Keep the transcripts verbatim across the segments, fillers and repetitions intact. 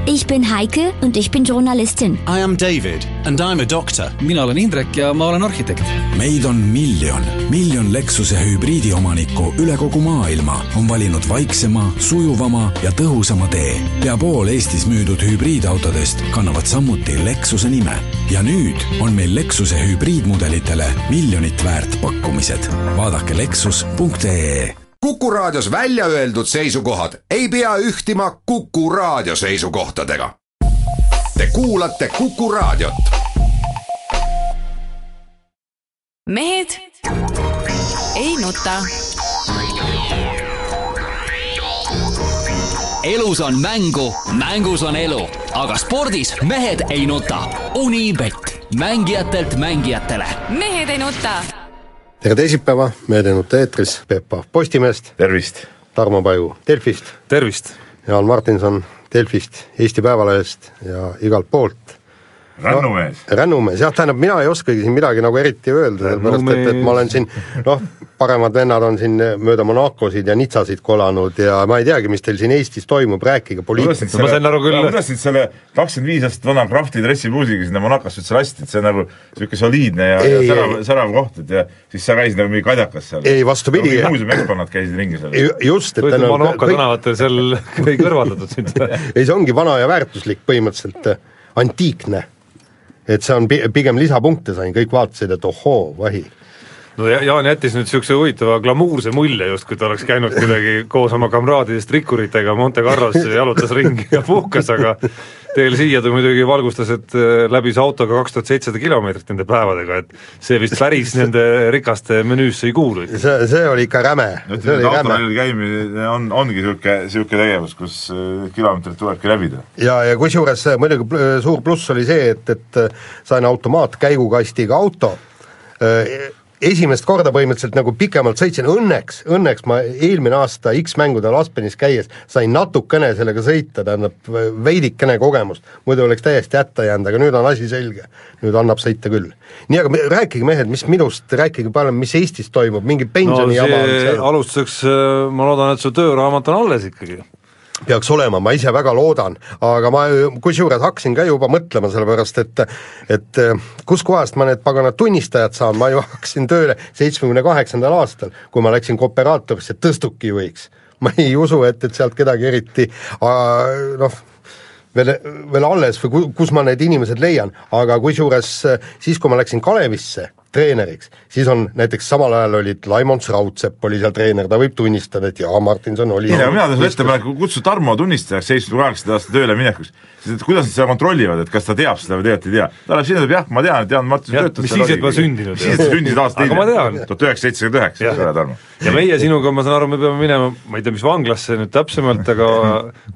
Ich bin Heike und ich bin Journalistin. I am David and I'm a doctor. Mina olen Indrek ja ma olen arhitekt. Meid on miljon. Miljon Lexuse hübriidiomanikku üle kogu maailma on valinud vaiksema, sujuvama ja tõhusama tee. Pea pool Eestis müüdud hübriidautodest kannavad samuti Lexuse nime. Ja nüüd on meil Lexuse hübriidmudelitele miljonit väärt pakkumised. Vaadake lexus punkt ee. Kuku Raadios välja öeldud seisukohad ei pea ühtima Kuku Raadio seisukohtadega. Te kuulate Kuku Raadiot. Mehed ei nuta. Elus on mängu, mängus on elu, aga spordis mehed ei nuta. Unibet, mängijatelt mängijatele. Mehed ei nuta. Tere teisipäeva, mehed ei nuta eetris, Pepa Postimest. Tervist. Tarmo Paju Delfist. Tervist. Jaan Martinson Delfist, Eesti Päevalehest ja igalt poolt. Rännumees. No, rännumees, jah, tähendab, mina ei oskagi siin midagi nagu eriti öelda, sellepärast, et, et ma olen siin, noh, paremad vennad on siin mööda Monacosid ja Nitsasid kolanud ja ma ei teagi, mis teil siin Eestis toimub, rääkige poliitika. Ma sain aru küll. Kuidas nüüd selle kakskümmend viis aastat vana krafti dressibuusiga sinna Monacosse üldse lasti, et see on nagu selline soliidne ja, ei, ja särav, särav koht, et ja siis sa käisid nagu mingi kadjakas seal. Ei, vastu pidi. Muuseum eksponnad käisid ringi seal. Just, et tänu... Monaco tänavatel seal ei kõrvaldatud sind. Ei, see ongi vana ja väärtuslik põhimõtteliselt antiikne. Et see on pigem lisapunkte sain, kõik vaatasid, et ohoo, vahi. No Jaan jättis nüüd siukse huvitava glamuurse mulje just, kui ta oleks käinud kuidagi koos oma kamraadidest rikkuritega Monte Carlos jalutas ringi ja puhkas, aga teil siia ta muidugi valgustas, et läbis autoga kaks tuhat seitsesada kilomeetrit nende päevadega, et see vist päris nende rikaste menüüsse ei kuulu. See, see oli ikka räme. See oli räme. Käimine on, ongi siuke, siuke tegevus, kus kilomeetrit tulebki läbida. Ja, ja kus juures muidugi suur pluss oli see, et, et sain automaat käigukastiga auto. Esimest korda põhimõtteliselt nagu pikemalt sõitsin, õnneks, õnneks ma eelmine aasta X-mängudel Aspenis käies sain natukene sellega sõita, tähendab veidikene kogemust, muidu oleks täiesti jätta jäänud, aga nüüd on asi selge, nüüd annab sõita küll. Nii, aga rääkige mehed, mis minust, rääkige palju, mis Eestis toimub, mingi pensioni no, see alustuseks, ma loodan, et su tööraamat on alles ikkagi. Peaks olema, ma ise väga loodan, aga ma kusjuures hakkasin ka juba mõtlema sellepärast, et, et kus kohast ma need paganad tunnistajad saan, ma ju hakkasin tööle seitsmekümne kaheksandal aastal, kui ma läksin kooperaatorisse tõstuki juhiks. Ma ei usu, et, et sealt kedagi eriti, noh, veel, veel alles või kus ma need inimesed leian, aga kusjuures siis, kui ma läksin Kalevisse treeneriks, siis on näiteks samal ajal olid Laimons Raudsepp oli seal treener, ta võib tunnistada, et jaa, Martinson oli... Nii, mina tõin ettepaneku kutsu Tarmo tunnistajaks seitsmekümne kaheksanda aasta tööle minekuks, sest et kuidas nad seda kontrollivad, et kas ta teab seda või tegelikult ei tea. Ta läheb sinna, jah, ma tean, et Jaan Martinson töötab. Mis siis, et ma sündinud. Siis, et sa sündisid aasta aga ma tean. tuhat üheksasada seitsekümmend üheksa, Tarmo. Ja meie sinuga, ma saan aru, me peame minema, ma ei tea, mis vanglasse nüüd täpsemalt, aga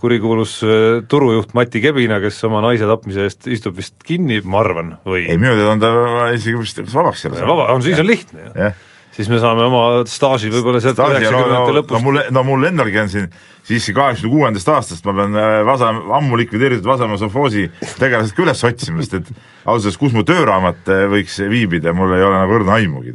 kurikuulus turujuht Mati Kebina, kes oma naise tapmise eest istub vist kinni, ma arvan, või... Ei, minu teada on ta isegi vist vabaks seal. Vaba, on siis on lihtne ju yeah.. Siis me saame oma staaži võib-olla sealt üheksakümnendate lõpust. No mul, no mul endalgi on siin siiski kaheksakümne kuuendast aastast ma pean vasa, ammu likvideeritud Vasamäe sovhoosi tegelased ka üles otsima, sest et ausalt, kus mu tööraamat võiks viibida, mul ei ole nagu õrna aimugi.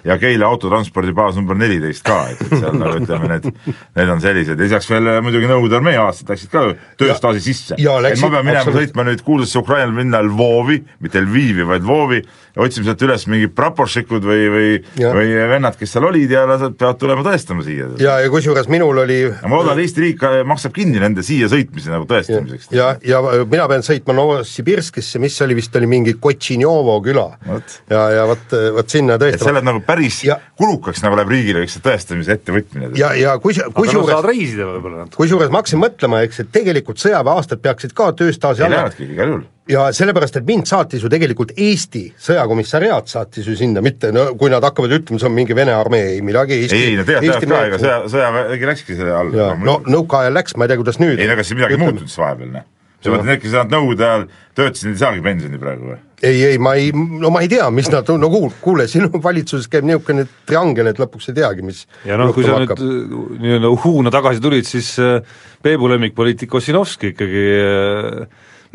Ja Keila autotranspordi baas number neliteist ka, et seal nagu ütleme, need, need on sellised. Lisaks veel muidugi Nõukogude armee aastad läksid ka tööstaaži sisse. Ja, läksid, et ma pean minema sõitma nüüd kuulsasse Ukrainal minna Lvovi, mitte Lvivi, vaid Lvovi ja otsime sealt üles mingi praporšikud või, või, või vennad, kes seal olid ja nad peavad tulema tõestama siia. Ja, ja kusjuures minul oli... Ja ma loodan, Eesti riik maksab kinni nende siia sõitmise nagu tõestamiseks. Ja, ja, ja mina pean sõitma Novosibirskisse, mis oli vist oli mingi Kotšinjovo küla. Võt. Ja, ja võt, võt sinna tõestama. Et selled nagu päris ja, kulukaks nagu läheb riigile üks tõestamise ettevõtmine. Ja, ja kus, kus aga no saad reisida võib-olla. Kus juures ma hakkasin mõtlema, eks, et tegelikult sõjaväeaastad peaksid ka tööstaaži alla. Ei lähevadki igal juhul. Ja sellepärast, et mind saatis ju tegelikult Eesti sõjakomissariaat saatis ju sinna, mitte no, kui nad hakkavad ütlema, see on mingi Vene armee, ei midagi Eesti. Ei, no tead, tead ka, ega sõja, sõjaväegi läkski selle all. No nõuka ajal läks, ma ei tea, kuidas nüüd. Ei, ega siis midagi muutunud vahepeal, ne? See mõtled, need, kes nad nõude ajal töötasid, ei saagi pensioni praegu või? Ei, ei, ma ei, no ma ei tea, mis nad, no kuule, kuule sinu valitsuses käib niisugune triangel, et lõpuks ei teagi, mis ja noh, kui sa hakkab. Nüüd nii-öelda uhuuna tagasi tulid, siis Peebu lemmikpoliitik Ossinovski ikkagi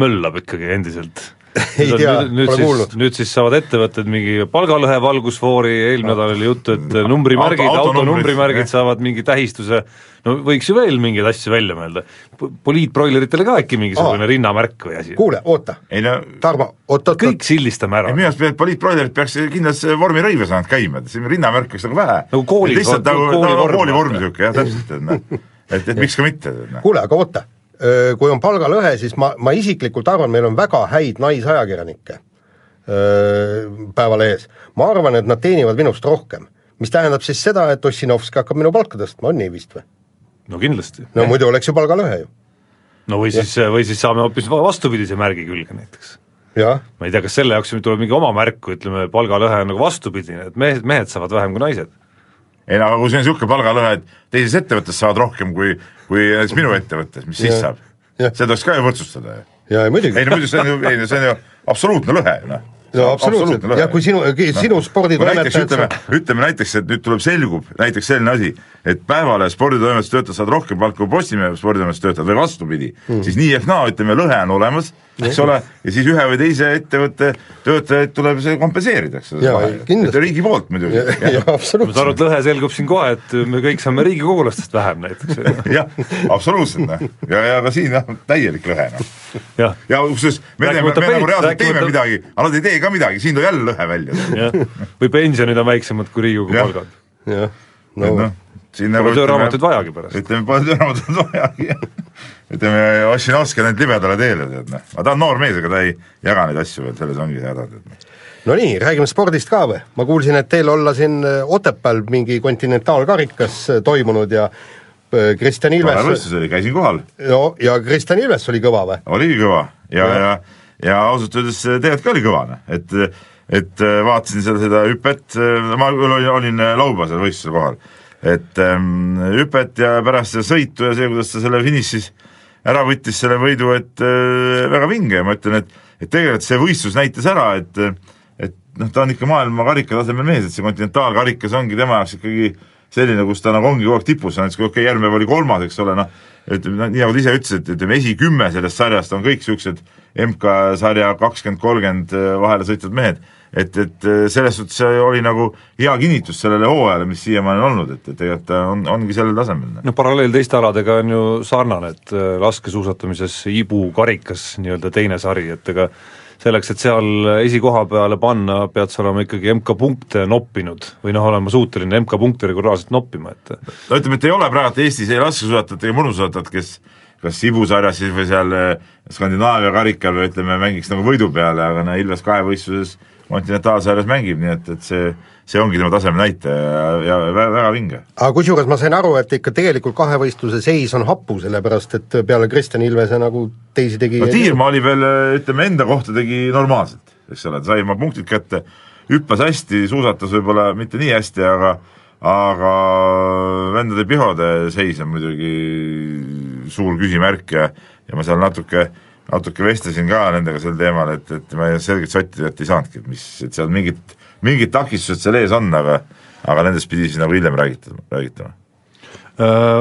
möllab ikkagi endiselt. ei tea, nüüd, pole siis, kuulnud. nüüd siis saavad ettevõtted mingi palgalõhe valgusfoori, eelmine nädal oli juttu, et numbrimärgid, Auto- auto numbrimärgid jah. saavad mingi tähistuse, no võiks ju veel mingeid asju välja mõelda. Poliitbroileritele ka äkki mingisugune Aa. rinnamärk või asi. Kuule, oota, ei no Tarmo, oot, oot, kõik sildistame ära. minu arust poliitbroilerid peaks kindlas vormirõive saanud käima, et siin rinnamärk oleks nagu vähe. Nagu kooli- lihtsalt nagu kooli vorm. koolivorm niisugune, jah, täpselt, et noh, et, et miks ka mitte. kuule, aga oota, kui on palgalõhe, siis ma, ma isiklikult arvan, meil on väga häid naisajakirjanikke Päevalehes. Ma arvan, et nad teenivad minust rohkem, mis tähendab siis seda, et Ossinovski hakkab minu palka tõstma, on nii vist või? No kindlasti. No muidu oleks ju palgalõhe ju. No või siis, või siis saame hoopis vastupidise märgi külge näiteks. Ja. Ma ei tea, kas selle jaoks tuleb mingi oma märku, ütleme, palgalõhe on nagu vastupidine, et mehed, mehed saavad vähem kui naised. ei no aga kui see on niisugune palgalõhe, et teises ettevõttes saavad rohkem kui, kui näiteks minu ettevõttes, mis siis saab? See tuleks ka ju võrdsustada. Ja, muidugi. Ei no muidu see on ju, ei, no, see on ju absoluutne lõhe. No, no absoluutselt, ja kui sinu, sinu no. sporditoimetajad ütleme, ütleme näiteks, et nüüd tuleb selgub näiteks selline asi, et päevale sporditoimetus töötajad saavad rohkem palka kui Postimehe sporditoimetus töötajad või vastupidi, mm. siis nii ehk naa, ütleme, lõhe on olemas, eks ole, ja siis ühe või teise ettevõtte töötajaid tuleb see kompenseerida, eks ole, riigi poolt muidugi. Ma saan aru, et lõhe selgub siin kohe, et me kõik saame riigikogulastest vähem näiteks. jah, absoluutselt, ja, ja ka siin jah, täielik lõhe. Ja, ja uksest, me, me, me nagu reaalselt teeme midagi, aga nad ei tee ka midagi, siin tuli jälle lõhe välja. või pensionid on väiksemad kui Riigikogu palgad. jah, no, no pole tööraamatut vajagi pärast. ütleme, pole tööraamatut vajagi. ütleme, Ossinovski on need libedale teele, tead, noh. Ma ta on noor mees, aga ta ei jaga neid asju veel, selles ongi häda, tead. No nii, räägime spordist ka või? Ma kuulsin, et teil olla siin Otepääl mingi kontinentaalkarikas toimunud ja Kristjan Ilves... Võistus oli, käisin kohal. No, ja Kristjan Ilves oli kõva või? Oligi kõva ja, ja, ja, ja ausalt öeldes tegelikult ka oli kõva, et, et vaatasin seal seda hüpet, ma olin, olin lauba seal võistusel kohal, et ähm, hüpet ja pärast seda sõitu ja see, kuidas ta selle finišis ära võttis selle võidu, et äh, väga vinge ja ma ütlen, et, et tegelikult see võistlus näitas ära, et, et noh, ta on ikka maailma karika tasemel mees, et see kontinentaalkarikas ongi tema jaoks ikkagi selline, kus ta nagu ongi kogu aeg tipus, näiteks kui okei, järgmine oli kolmas, eks ole, noh, ütleme, nii nagu ta ise ütles, et ütleme, esikümme sellest sarjast on kõik niisugused M K-sarja kakskümmend kolmkümmend vahele sõitvad mehed, et, et selles suhtes oli nagu hea kinnitus sellele hooajale, mis siiamaani on olnud, et, et tegelikult ta on, ongi sellel tasemel. No paralleel teiste aladega on ju sarnane, et laskesuusatamises Ibu karikas nii-öelda teine sari, et ega selleks, et seal esikoha peale panna, pead sa olema ikkagi M K-punkte noppinud või noh, olema suuteline M K-punkte regulaarselt noppima, et no ütleme, et ei ole praegu Eestis ei laskesuusatajat ega mõnusuusatajat, kes kas Ibu sarjas siis või seal Skandinaavia karikal või ütleme, mängiks nagu võidu peale, aga no Ilves kahevõistluses kontinentaalsarjas mängib, nii et, et see, see ongi tema taseme näite ja, ja väga, väga vinge. Aga kusjuures ma sain aru, et ikka tegelikult kahevõistluse seis on hapu, sellepärast et peale Kristjan Ilvese nagu teisi tegi no Tiirma oli veel, ütleme, enda kohta tegi normaalselt, eks ole, ta sai oma punktid kätte, hüppas hästi, suusatas võib-olla mitte nii hästi, aga aga vendade Pihode seis on muidugi suur küsimärk ja, ja ma seal natuke natuke vestlesin ka nendega sel teemal, et, et ma selgelt sotti, et ei saanudki, mis, et seal mingid, mingid takistused seal ees on, aga aga nendest pidi siis nagu hiljem räägitama, räägitama.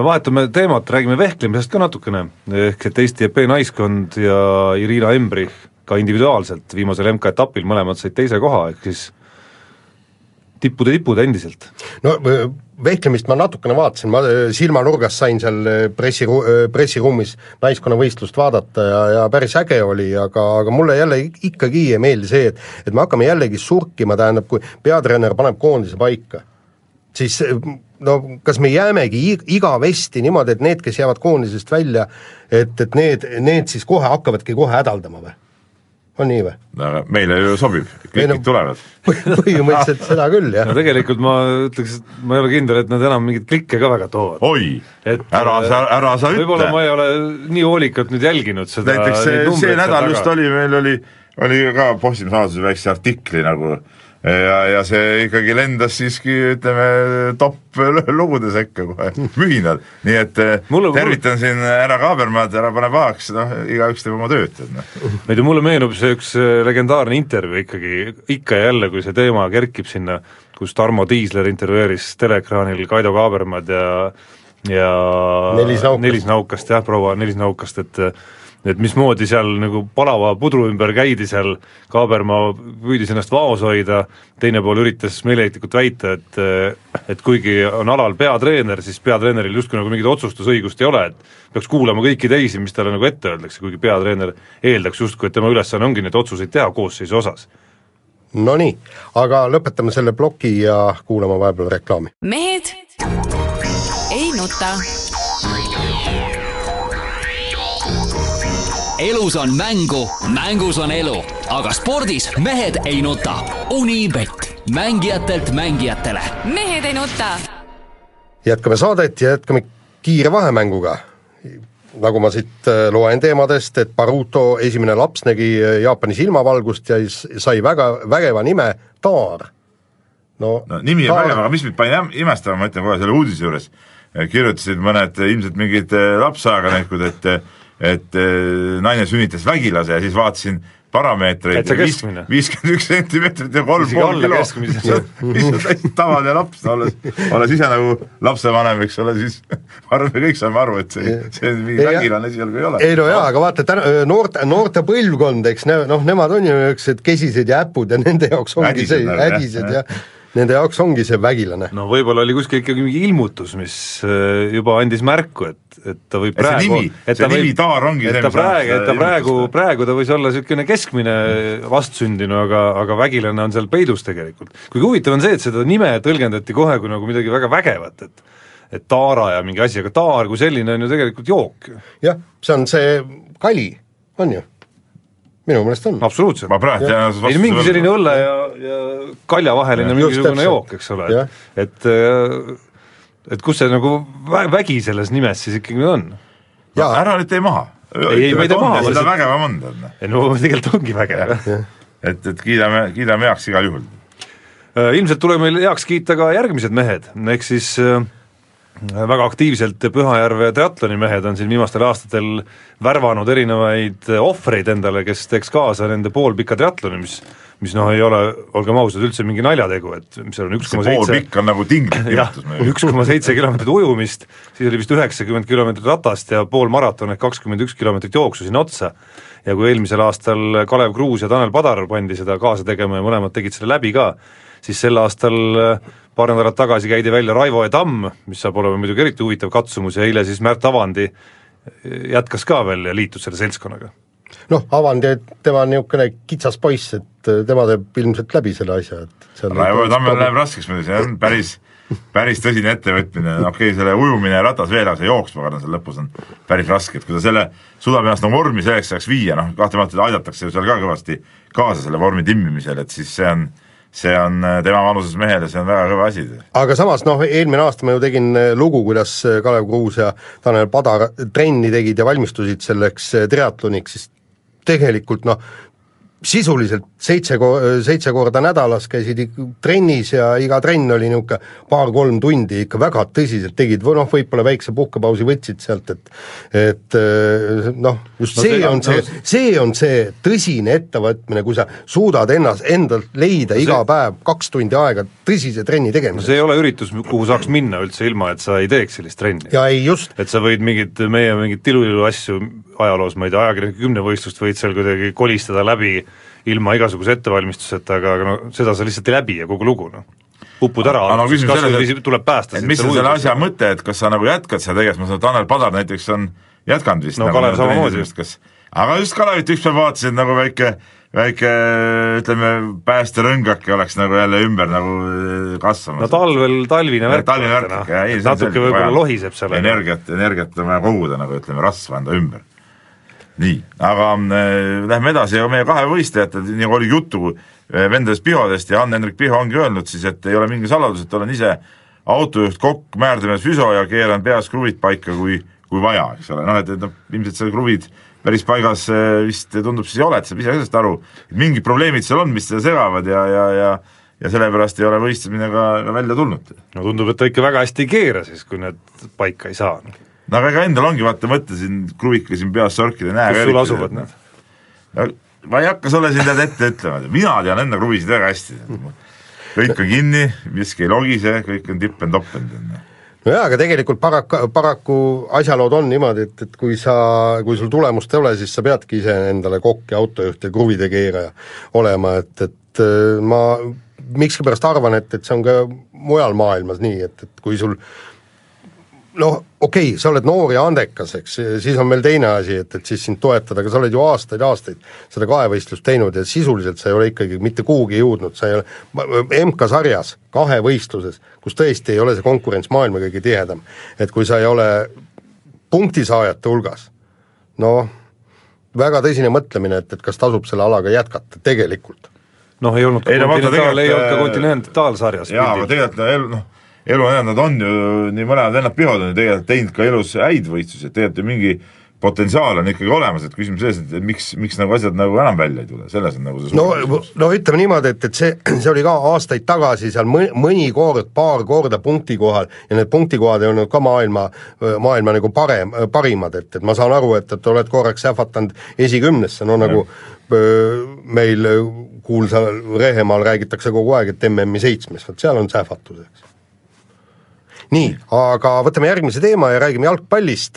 Vahetame teemat, räägime vehklemisest ka natukene, ehk et Eesti E P naiskond ja Irina Embrich ka individuaalselt viimasel M K-etapil mõlemad said teise koha, ehk siis tippude tipud endiselt. No vehklemist ma natukene vaatasin, ma silmanurgas sain seal pressiru-, pressiruumis naiskonnavõistlust vaadata ja, ja päris äge oli, aga, aga mulle jälle ikkagi ei meeldi see, et, et me hakkame jällegi surkima, tähendab, kui peatreener paneb koondise paika, siis no kas me jäämegi igavesti niimoodi, et need, kes jäävad koondisest välja, et, et need, need siis kohe hakkavadki kohe hädaldama või? On nii või? No, meile ju sobib, kõik no, tulevad. Põhimõtteliselt seda küll, jah. No tegelikult ma ütleks, et ma ei ole kindel, et nad enam mingit klikke ka väga toovad. Oi, et, ära sa, ära sa ütle. Võib-olla ma ei ole nii hoolikalt nüüd jälginud seda. Näiteks see, see nädal just oli, meil oli, oli ka Postimehe saaduse väikse artikli nagu ja, ja see ikkagi lendas siiski, ütleme, top lugude sekka kohe, mühinal. Nii et mulle, tervitan mulle... siin ära Kaabermaad, ära pane pahaks, noh, igaüks teeb oma tööd. Ei tea, mulle meenub see üks legendaarne intervjuu ikkagi, ikka ja jälle, kui see teema kerkib sinna, kus Tarmo Tiisler intervjueeris teleekraanil Kaido Kaabermaad ja ja Nelis Naukast, Nelis Naukast jah, proua Nelis Naukast, et et mismoodi seal nagu palava pudru ümber käidi seal, Kaabermaa püüdis ennast vaos hoida, teine pool üritas meeleheitlikult väita, et et kuigi on alal peatreener, siis peatreeneril justkui nagu mingit otsustusõigust ei ole, et peaks kuulama kõiki teisi, mis talle nagu ette öeldakse, kuigi peatreener eeldaks justkui, et tema ülesanne ongi neid otsuseid teha koosseisu osas. No nii, aga lõpetame selle ploki ja kuulama vahepeal reklaami. Mehed ei nuta. Elus on mängu, mängus on elu, aga spordis mehed ei nuta. Unibet, mängijatelt mängijatele. Mehed ei nuta. Jätkame saadet ja jätkame kiire vahemänguga. Nagu ma siit loen teemadest, et Baruto esimene laps nägi Jaapanis ilmavalgust ja sai väga vägeva nime Taar. No, no nimi on vägeva, aga mis mind panin imestama, ma ütlen kohe selle uudise juures. Kirjutasid mõned ilmselt mingid lapseaganikud, et et naine sünnitas vägilase ja siis vaatasin parameetreid viiskümmend üks sentimeetrit ja kolm pool kilo, mis on täiesti tavaline laps, olles, olles ise nagu lapsevanem, eks ole, siis arve kõik saame aru, et see, see mingi vägilane esialgu ei ole. Ei no jaa, aga vaata, noorte, noorte põlvkond, eks ne, noh, nemad on ju üks käsised ja äpud ja nende jaoks ongi see ädised ja nende jaoks ongi see vägilane. No võib-olla oli kuskil ikkagi mingi ilmutus, mis juba andis märku, et, et ta võib praegu... See nimi, see võib, nimi Taar ongi et see, ta praegu, et ta praegu, praegu ta võis olla selline keskmine vastsündinu, aga, aga vägilane on seal peidus tegelikult. Kuigi huvitav on see, et seda nime tõlgendati kohe kui nagu midagi väga vägevat, et et Taara ja mingi asi, aga Taar kui selline on ju tegelikult jook. Jah, see on see kali, on ju? Minu mõnest on. Absoluutselt. Ma praegu tean, ei, mingi selline õlle ja, ja kalja vaheline mingisugune jook, eks ole, et, et et kus see nagu vägi selles nimes siis ikkagi on? No, ära nüüd tee maha. Ei, ei, ma ei tee maha. Seda vägeva on. No tegelikult ongi vägev. Et, et kiidame, kiidame heaks igal juhul. Ilmselt tuleb meil heaks kiita ka järgmised mehed, ehk siis väga aktiivselt Pühajärve triatloni mehed on siin viimastel aastatel värvanud erinevaid ohvreid endale, kes teeks kaasa nende poolpika triatloni, mis, mis noh ei ole, olgem ausad, üldse mingi naljategu, et mis on üks koma seitse poolpikk on nagu tinglik üks koma seitse kilomeetrit ujumist, siis oli vist üheksakümmend kilomeetrit ratast ja pool maraton ehk kakskümmend üks kilomeetrit jooksu sinna otsa. Ja kui eelmisel aastal Kalev Kruus ja Tanel Padar pandi seda kaasa tegema ja mõlemad tegid selle läbi ka, siis sel aastal paar nädalat tagasi käidi välja Raivo ja Tamm, mis saab olema muidugi eriti huvitav katsumus ja eile siis Märt Avandi jätkas ka veel ja liitus selle seltskonnaga. Noh, Avandi, tema on niisugune kitsas poiss, et tema teeb ilmselt läbi selle asja. Et Raivo ja Tammel läheb raskeks, see on päris, päris tõsine ettevõtmine, okei, selle ujumine ja ratas veel, aga see jooksma karna seal lõpus on päris raske, et kui ta selle suudab ennast nagu vormi selleks saaks viia, noh, kahtlemata aidatakse seal ka kõvasti kaasa selle vormi timmimisel, et siis see on see on tema vanuses mehele, see on väga kõva asi. Aga samas, noh, eelmine aasta ma ju tegin lugu, kuidas Kalev Kruus ja Tanel Padar trenni tegid ja valmistusid selleks triatloniks, siis tegelikult, noh, sisuliselt seitse, seitse korda nädalas käisid trennis ja iga trenn oli niisugune paar-kolm tundi ikka väga tõsiselt tegid, või noh, võib-olla väikse puhkepausi võtsid sealt, et et noh, just no, see, see on see, see on see tõsine ettevõtmine, kui sa suudad ennast, endalt leida no, iga see... päev kaks tundi aega tõsise trenni tegemiseks. No see ei ole üritus, kuhu saaks minna üldse ilma, et sa ei teeks sellist trenni. Ja ei just. Et sa võid mingid, meie mingid tiluilu asju ajaloos, ma ei tea, ajakirjanike kümnevõistlust võid seal kuidagi kolistada läbi ilma igasuguse ettevalmistuseta, aga no, seda sa lihtsalt ei läbi ja kogu lugu, noh. Upud ära, no, kas või tuleb päästa. Et mis on selle asja mõte, et kas sa nagu jätkad seda tegevust, ma saan Tanel Padar näiteks on jätkanud vist. No nagu Kalev samamoodi. Aga just Kalevit üks päev vaatasid nagu väike, väike, ütleme, päästerõngake oleks nagu jälle ümber nagu kasvamas. No talvel talvine värk. Talvine värk, no. Ja, ei, natuke võib-olla lohiseb seal. Energiat, energiat on vaja koguda, nagu ütleme, rasva enda ümber. Nii, aga äh, lähme edasi ja meie kahe võistlejad, nagu oli juttu äh, vendadest Pihodest ja Ann-Hendrik Piho ongi öelnud siis, et ei ole mingi saladus, et olen ise autojuht, kokk, määrdemees, füso ja keeran peas kruvid paika, kui, kui vaja, eks ole, noh, et, et no, ilmselt seal kruvid päris paigas äh, vist tundub siis ei ole, et saab ise sellest aru, et mingid probleemid seal on, mis seda segavad ja, ja, ja ja sellepärast ei ole võistlemine ka, ka välja tulnud. No tundub, et ta ikka väga hästi ei keera siis, kui need paika ei saa. No aga ega endal ongi, vaata, mõtlesin, kruvika siin peas sorkida, näe. Kus sul asuvad need? No, ma ei hakka sulle siin tead ette ütlema, mina tean enda kruvisid väga hästi. Kõik on kinni, miski ei logise, kõik on tippen-toppen. no jaa, aga tegelikult paraku, paraku asjalood on niimoodi, et, et kui sa, kui sul tulemust ei ole, siis sa peadki ise endale kokk ja autojuht ja kruvide keeraja olema, et, et ma miskipärast arvan, et, et see on ka mujal maailmas nii, et, et kui sul noh, okei okay,, sa oled noor ja andekas, eks, siis on meil teine asi, et, et siis sind toetada, aga sa oled ju aastaid, aastaid seda kahevõistlust teinud ja sisuliselt sa ei ole ikkagi mitte kuhugi jõudnud, sa ei ole M K-sarjas, kahevõistluses, kus tõesti ei ole see konkurents maailma kõige tihedam, et kui sa ei ole punktisaajate hulgas, noh, väga tõsine mõtlemine, et, et kas tasub selle alaga jätkata tegelikult. Noh, ei olnud ka ei, kontinentaal, ei olnud ka kontinentaalsarjas. Jaa, aga tegelikult elu, noh, elu enam nad on ju, nii mõlemad vennad Pihod on ju tegelikult teinud ka elus häid võistlusi, et tegelikult ju mingi potentsiaal on ikkagi olemas, et küsimus selles, et miks, miks nagu asjad nagu enam välja ei tule, selles on nagu see no, no ütleme niimoodi, et, et see, see oli ka aastaid tagasi seal mõni, mõni kord, paar korda punkti kohal ja need punktikohad ei olnud ka maailma, maailma nagu parem, parimad, et, et ma saan aru, et, et oled korraks sähvatanud esikümnesse, no nagu öö, meil kuulsa Rehemaal räägitakse kogu aeg, et M M-i seitsmes, võt seal on sähvatuseks. Nii, aga võtame järgmise teema ja räägime jalgpallist.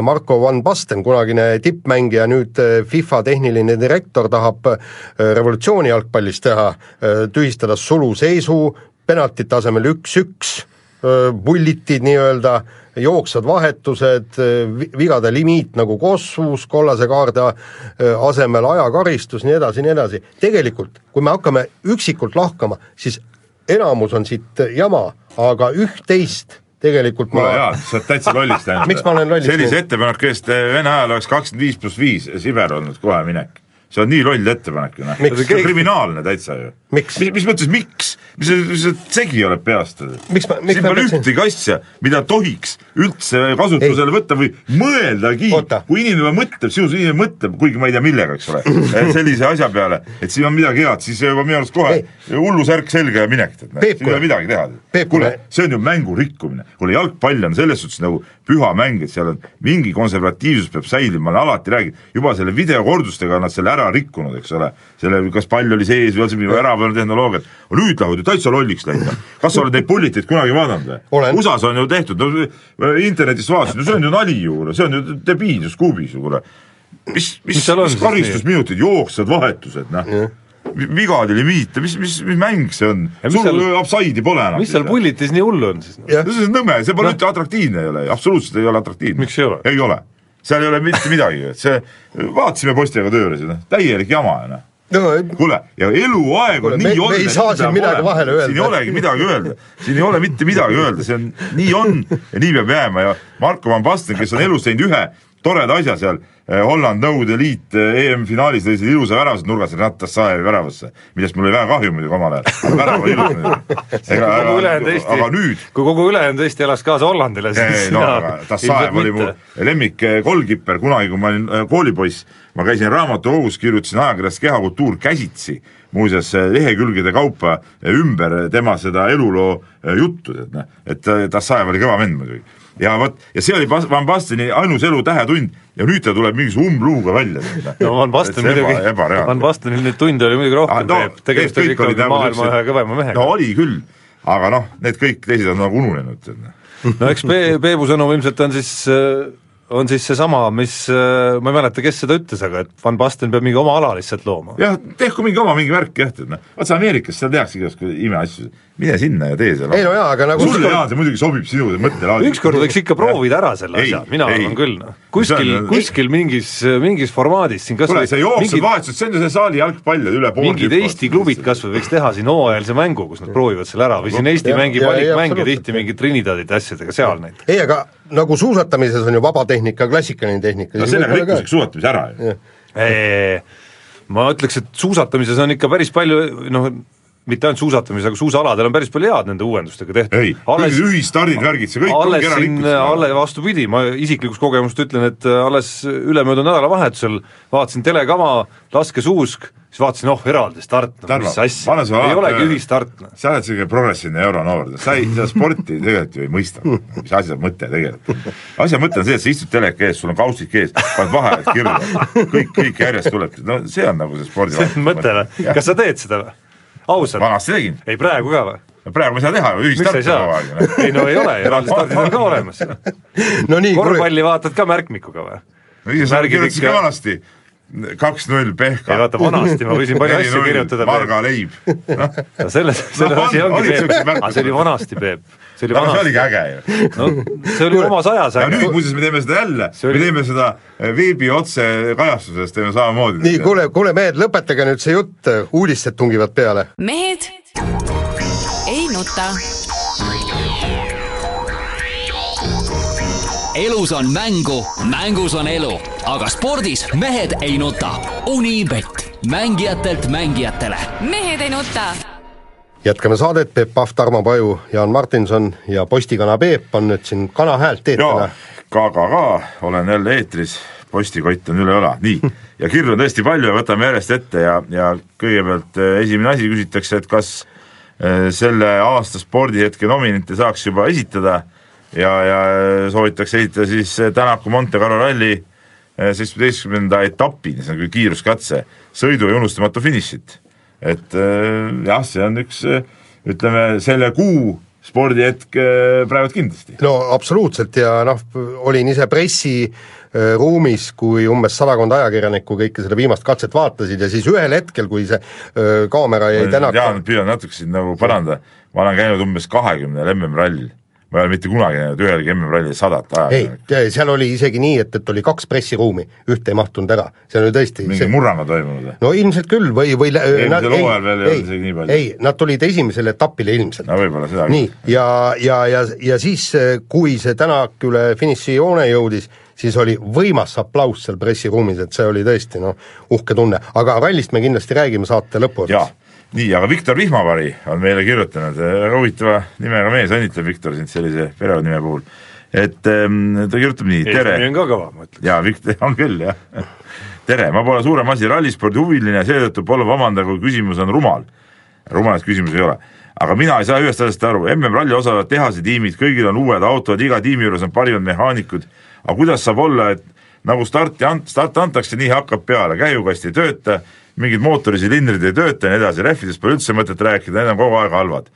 Marko Van Basten, kunagine tippmängija, nüüd FIFA tehniline direktor, tahab revolutsiooni jalgpallist teha, tühistada suluseisu, penaltite asemel üks-üks, bullitid nii-öelda, jooksvad vahetused, vigade limiit nagu kossus, kollase kaarde asemel ajakaristus, nii edasi, nii edasi. Tegelikult, kui me hakkame üksikult lahkama, siis enamus on siit jama, aga üht-teist tegelikult ma... Jaa, sa oled täitsa lolliks tähendab. Miks ma olen lolliks? Sellise ettepanek, kes Vene ajal oleks kakskümmend viis pluss viis Siber olnud kohe minek. See on nii loll ettepanek. See on kriminaalne täitsa ju. Miks? Mis, mis mõttes, miks? Mis see segi oleb peast? Miks ma, miks siin pole ühtegi asja, mida tohiks üldse kasutusele võtta või mõeldagi. Oota. Kui inimene mõtleb, sinus inimene mõtleb, kuigi ma ei tea millega, eks ole, sellise asja peale, et siin on midagi head, siis juba minu arust kohe hullu särk selga ja minek. Siin ei ole midagi teha. Kule, see on ju mängu rikkumine. Kule, jalgpall on selles suhtes nagu püha mäng, et seal on mingi konservatiivsus peab säilima, ma olen alati räägid, juba selle videokordustega on nad selle ära rikkunud, eks ole, selle, kas pall oli sees või on see ära tehnoloogiat, nüüd lähevad ju täitsa lolliks läinud. Kas sa oled neid pulliteid kunagi vaadanud? U S A-s on ju tehtud, no, internetist vaatasid, no see on ju nali ju, see on ju debiilsus kuubis ju, kuule. Mis, mis, mis, mis karistusminutid, jooksvad vahetused, noh. Vigadi limiite, mis, mis, mis mäng see on? Sul seal, absaidi pole enam. Mis seal pullitis nii hullu on siis? No? See on nõme, see pole no. Üldse atraktiivne ei ole, absoluutselt ei ole atraktiivne. Miks ei ole? Ei ole. Seal ei ole mitte midagi. See, vaatasime postiga tööle, täielik jama. No. No, kuule, ja eluaeg on nii on. Me ei saa siin midagi vahele öelda. Siin ei olegi midagi öelda. Siin ei ole mitte midagi öelda. See on, nii on ja nii peab jääma. Ja Marko Van Basten, kes on elus teinud ühe toreda asja seal, Holland Nõude Liit E M-finaalis lõi see ilusa väravast nurgas Rattas Saevi väravasse, millest mul oli väga kahju muidugi omal ajal. Aga värav oli ilus. Aga nüüd... Kui kogu ülejäänud Eesti elas kaasa Hollandile, siis... No, aga Tassaev oli mu lemmik koolkipper kunagi, kui ma olin koolipoiss. Ma käisin raamatukogus, kirjutasin ajakirjast Kehakultuur käsitsi, muuseas lehekülgede kaupa ümber tema seda eluloo juttu, et Tassaev oli kõva vend muidugi. Ja, võt, ja see oli Van Basteni ainus elu tähetund ja nüüd ta tuleb mingis umbluuga välja. No Van Basten muidugi, Van Bastenil nüüd tund oli muidugi rohkem no, teeb, tegemist oli ikkagi maailma ühe kõvema mehega. No oli küll, aga noh, need kõik teised on nagu ununenud. No eks Peebu sõnum ilmselt on siis... on siis see sama, mis, ma ei mäleta, kes seda ütles, aga et Van Basten peab mingi oma ala lihtsalt looma. Jah, tehku mingi oma mingi värk jah, et vaata Ameerikas seal tehakse igast ime asju, mine sinna ja tee seal. Ei no jaa, aga nagu... Sulle jaa, see muidugi sobib sinu mõttelaadi. Ükskord võiks ikka proovida ära selle asja, mina arvan küll. Kuskil, kuskil mingis, mingis formaadis siin kas või... see jooksud vahetused, see on ju see saali jalgpall üle pool mingid Eesti klubid kas või võiks teha siin hooajalise mängu, kus nad proovivad selle ära või siin Eesti mängib valikmänge tihti mingid Trinidadid asjadega seal neid. Ei, aga nagu suusatamises on ju vabatehnika, klassikaline tehnika. No sellega rikkuseks suusatamise ära ju. Ma ütleks, et suusatamises on ikka päris palju, noh, mitte ainult suusatamises, aga suusaaladel on päris palju head nende uuendustega tehtud. Ei, alles, ühistardid värgid, see kõik alles on kera rikkus. Alles vastupidi, ma isiklikust kogemust ütlen, et alles ülemöödu nädala vahetusel vaatasin telekama, laske suusk, siis vaatasin, oh, eraldi start, no, Tarmo, mis asja, ei olegi ühistart. No. Sa oled selline progressiivne euronoor, sa ei, seda sporti tegelikult ju ei mõista, mis asja mõte tegelikult. Asja mõte on see, et sa istud teleka ees, sul on kaustik ees, paned vaheajad kirja, kõik, kõik järjest tuleb, no see on nagu see spordi see on mõte, kas sa teed seda või? Ausalt? Vanasti tegin. Ei praegu ka või? praegu me ei saa teha, ühistart ei saa? Ei no ei ole, eraldi stardid on ka olemas. No nii, korvpalli vaatad ka märkmikuga või? No ise sa kirjutasid ka vanasti kaks null Pehka. Ei vaata, vanasti ma võisin palju asju kirjutada. Marga leib. No selles, selles asi ongi Peep. Aga see oli vanasti, Peep. See oli, no, see oligi äge ju. No, see oli omas ajas. Ja nüüd muuses me teeme seda jälle. Me teeme seda veebi otse kajastusest, teeme samamoodi. Nii, kuule, kuule mehed, lõpetage nüüd see jutt, uudised tungivad peale. Mehed ei nuta. Elus on mängu, mängus on elu, aga spordis mehed ei nuta. Unibet, mängijatelt mängijatele. Mehed ei nuta. Jätkame saadet, Peep Pahv, Tarmo Paju, Jaan Martinson ja postikana Peep on nüüd siin kana häält teetana. Ka, ka, ka, olen jälle eetris, postikott on üle õla. Nii, ja kirju on tõesti palju ja võtame järjest ette ja, ja kõigepealt esimene asi küsitakse, et kas selle aasta spordihetke nominente saaks juba esitada ja, ja soovitakse esitada siis Tänaku Monte Carlo ralli seitsmeteistkümnenda etapi, see on küll kiiruskatse, sõidu ja unustamatu finišit. Et jah, see on üks, ütleme, selle kuu spordihetk praegu kindlasti. No absoluutselt ja noh, olin ise pressi ruumis, kui umbes sadakond ajakirjanikku kõike seda viimast katset vaatasid ja siis ühel hetkel, kui see öö, kaamera jäi Tänaku... Jaan, püüan natuke siin nagu paranda, ma olen käinud umbes kahekümne M M-rallil. Ma ei ole mitte kunagi näinud ühelgi M M-rallil sadat ajakirjanikku. Ei, seal oli isegi nii, et, et oli kaks pressiruumi, ühte ei mahtunud ära. See oli tõesti... Mingi see... murranga toimunud? No ilmselt küll või... või eelmisel hooajal veel ei olnud isegi nii palju. Ei, nad tulid esimesele etapile ilmselt. No võib-olla seda. Nii, ja, ja, ja, ja siis, kui see Tänak üle finiši joone jõudis, siis oli võimas aplaus seal pressiruumis, et see oli tõesti no, uhke tunne. Aga rallist me kindlasti räägime saate lõpuotsas. Jaa, nii, aga Viktor Vihmavari on meile kirjutanud, huvitava nimega mees, õnnitleb Viktor sind sellise perekonime puhul. Et ta kirjutab nii, tere. Eesti on ka kõva, ma ütlen. Jaa, Viktor on küll, jah. Tere, ma pole suurem asi rallispordi huviline, seetõttu pole vamanda, kui küsimus on rumal. Rumalast küsimus ei ole. Aga mina ei saa ühest asjast aru, M M-ralli osalevad tehase tiimid, kõigil on uued autod, iga tiimi juures on parimad mehaanikud. Aga kuidas saab olla, et nagu starti ant, start antakse, nii hakkab peale, käjukast ei tööta, mingid mootorisilindrid ei tööta ja nii edasi, rehvidest pole üldse mõtet rääkida, need on kogu aeg halvad.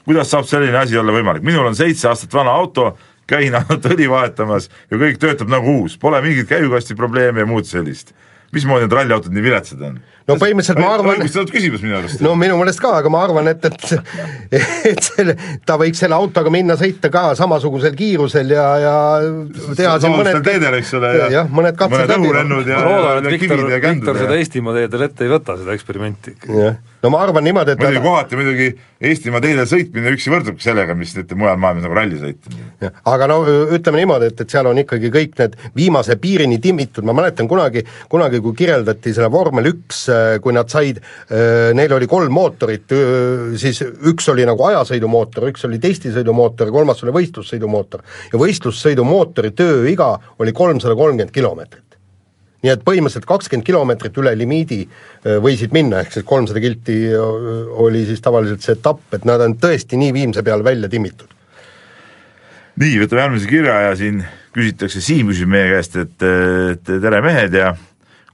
Kuidas saab selline asi olla võimalik? Minul on seitse aastat vana auto, käin ainult õli vahetamas ja kõik töötab nagu uus, pole mingit käjukasti probleemi ja muud sellist. Mismoodi need ralliautod nii viletsad on? No põhimõtteliselt ma arvan... Õigust küsimus minu arust. No minu mõelest ka, aga ma arvan, et, et, et selle, ta võiks selle autoga minna sõita ka samasugusel kiirusel ja, ja teha siin mõned... teedel, eks ole, ja, ja mõned katsed mõned õhurennud ja, ja, ja kivid ja kändud. Viktor seda Eestimaa teedel ette ei võta, seda eksperimenti. No ma arvan niimoodi, et... Muidugi kohati muidugi Eestimaa teedel sõitmine üksi võrdubki sellega, mis nüüd mujal maailmas nagu ralli sõita. Aga no ütleme niimoodi, et, et seal on ikkagi kõik need viimase piirini timmitud, ma mäletan kunagi, kunagi kui kirjeldati selle vormel üks, kui nad said, neil oli kolm mootorit, siis üks oli nagu ajasõidumootor, üks oli testisõidumootor, kolmas oli võistlussõidumootor ja võistlussõidumootori tööiga oli kolmsada kolmkümmend kilomeetrit. Nii et põhimõtteliselt kakskümmend kilomeetrit üle limiidi võisid minna, ehk siis kolmsada kilti oli siis tavaliselt see etapp, et nad on tõesti nii viimse peal välja timmitud. Nii, võtame järgmise kirja ja siin küsitakse, Siim küsib meie käest, et, et tere mehed ja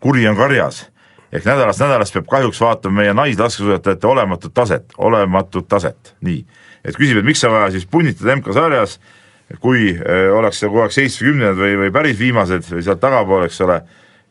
kuri on karjas. Ehk nädalast nädalast peab kahjuks vaatama meie naislaskesuusatajate olematut taset, olematut taset. Nii, et küsib, et miks sa vaja siis punnitada M K sarjas, kui öö, oleks see kogu aeg seitsmekümnendad või, või päris viimased või sealt tagapool, eks ole,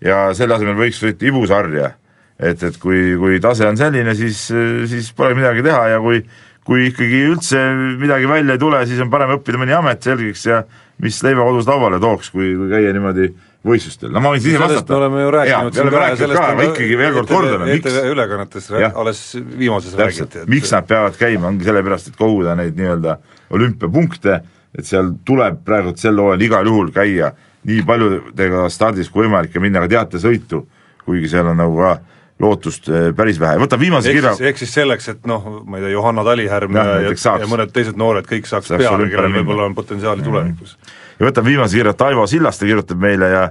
ja selle asemel võiks sõita ibusarja. Et, et kui, kui tase on selline, siis, siis pole midagi teha ja kui, kui ikkagi üldse midagi välja ei tule, siis on parem õppida mõni amet selgiks ja mis leiva kodus lauale tooks, kui, kui käia niimoodi võistlustel. No ma võin siis vastata. Me oleme ju rääkinud ja, ka, sellest ka, aga ikkagi veel kord kordame. E T V ülekannetes alles viimases räägiti. Miks nad peavad käima, ongi sellepärast, et koguda neid nii-öelda olümpiapunkte, et seal tuleb praegu sel hooajal igal juhul käia nii paljudega stardis kui võimalik ja minna ka teatesõitu, kuigi seal on nagu ka lootust päris vähe. Võtab viimase kirja... Ehk siis selleks, et noh, ma ei tea, Johanna Talihärm ja, ja, ja mõned teised noored kõik saaks, saaks peale, kellel võib-olla on potentsiaali tulevikus. Ja võtab viimase kirja Taivo Sillaste, kirjutab meile ja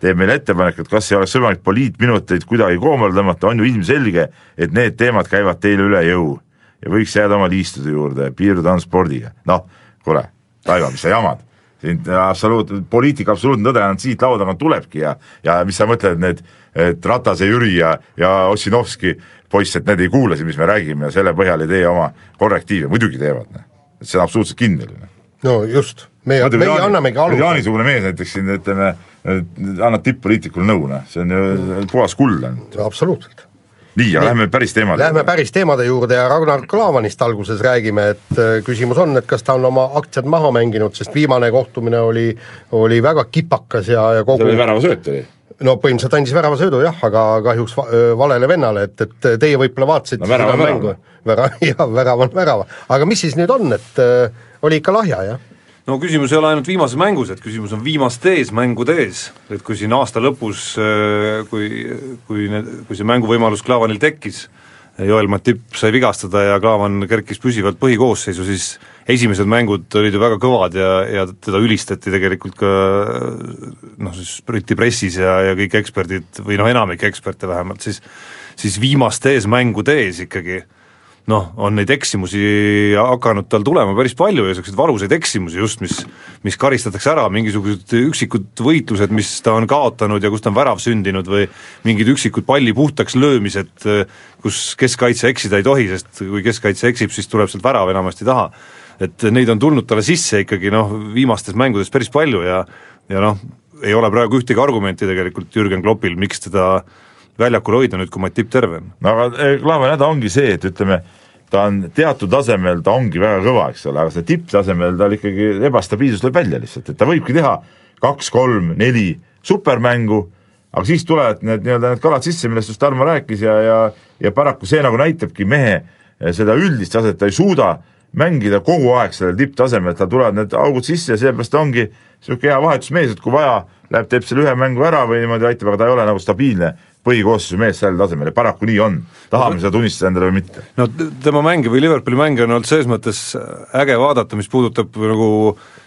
teeb meile ettepanek, et kas ei oleks võimalik poliitminuteid kuidagi koomale tõmmata, on ju ilmselge, et need teemad käivad teile üle jõu ja võiks jääda oma liistude juurde, piirduda on spordiga. Noh, kuule, Taivo, mis sa jamad? siin absoluut, poliitika absoluutne tõde on siit lauda tulebki ja ja mis sa mõtled, need et Ratase Jüri ja, ja Ossinovski poiss, et need ei kuule siin, mis me räägime ja selle põhjal ei tee oma korrektiive, muidugi teevad, et see on absoluutselt kinniline. No just, meie, meie Jaani, annamegi alu. Jaanisugune mees näiteks siin, ütleme, annab tipp-poliitikule nõuna, see on ju puhas kull. Absoluutselt. Nii, ja lähme päris teemade Lähme päris teemade juurde ja Ragnar Klavanist alguses räägime, et küsimus on, et kas ta on oma aktsiad maha mänginud, sest viimane kohtumine oli, oli väga kipakas ja, ja kogu... See oli värava sööt oli? No põhimõtteliselt andis värava söödu jah, aga kahjuks valele vennale, et, et teie võib-olla vaatasite no, värava, värava. Vära, jah, värava on värava. Aga mis siis nüüd on, et äh, oli ikka lahja, jah? No küsimus ei ole ainult viimases mängus, et küsimus on viimastes mängudes, et kui siin aasta lõpus, kui, kui, need, kui see mänguvõimalus Klaavanil tekkis, Joel Matip sai vigastada ja Klaavan kerkis püsivalt põhikoosseisu, siis esimesed mängud olid ju väga kõvad ja, ja teda ülistati tegelikult ka noh, siis Briti pressis ja, ja kõik eksperdid, või noh, enamik eksperte vähemalt, siis, siis viimastes mängudes ikkagi noh, on neid eksimusi hakanud tal tulema päris palju ja sellised valusaid eksimusi just, mis, mis karistatakse ära, mingisugused üksikud võitlused, mis ta on kaotanud ja kus ta on värav sündinud või mingid üksikud palli puhtaks löömised, kus keskkaitse eksida ei tohi, sest kui keskkaitse eksib, siis tuleb sealt värav enamasti taha. Et neid on tulnud talle sisse ikkagi noh, viimastes mängudes päris palju ja, ja noh, ei ole praegu ühtegi argumenti tegelikult Jürgen Kloppil, miks teda väljakul hoida nüüd, kui Matip terve on. No aga Klaavan häda ongi see, et ütleme, ta on teatud tasemel, ta ongi väga kõva, eks ole, aga see tipptasemel tal ikkagi ebastabiilsus lööb välja lihtsalt, et ta võibki teha kaks, kolm, neli supermängu, aga siis tulevad need, nii-öelda need kalad sisse, millest just Tarmo rääkis ja, ja, ja paraku see nagu näitabki mehe seda üldist taset, ta ei suuda mängida kogu aeg sellel tipptasemel, et tal tulevad need augud sisse ja seepärast ongi niisugune hea vahetusmees, et kui vaja, läheb teeb selle ühe mängu ära või niimoodi aitab, aga ta ei ole nagu stabiilne põhikoosseisu mees sellel tasemel ja paraku nii on, tahame seda tunnistada endale või mitte. No tema mänge või Liverpooli mänge on olnud selles mõttes äge vaadata, mis puudutab nagu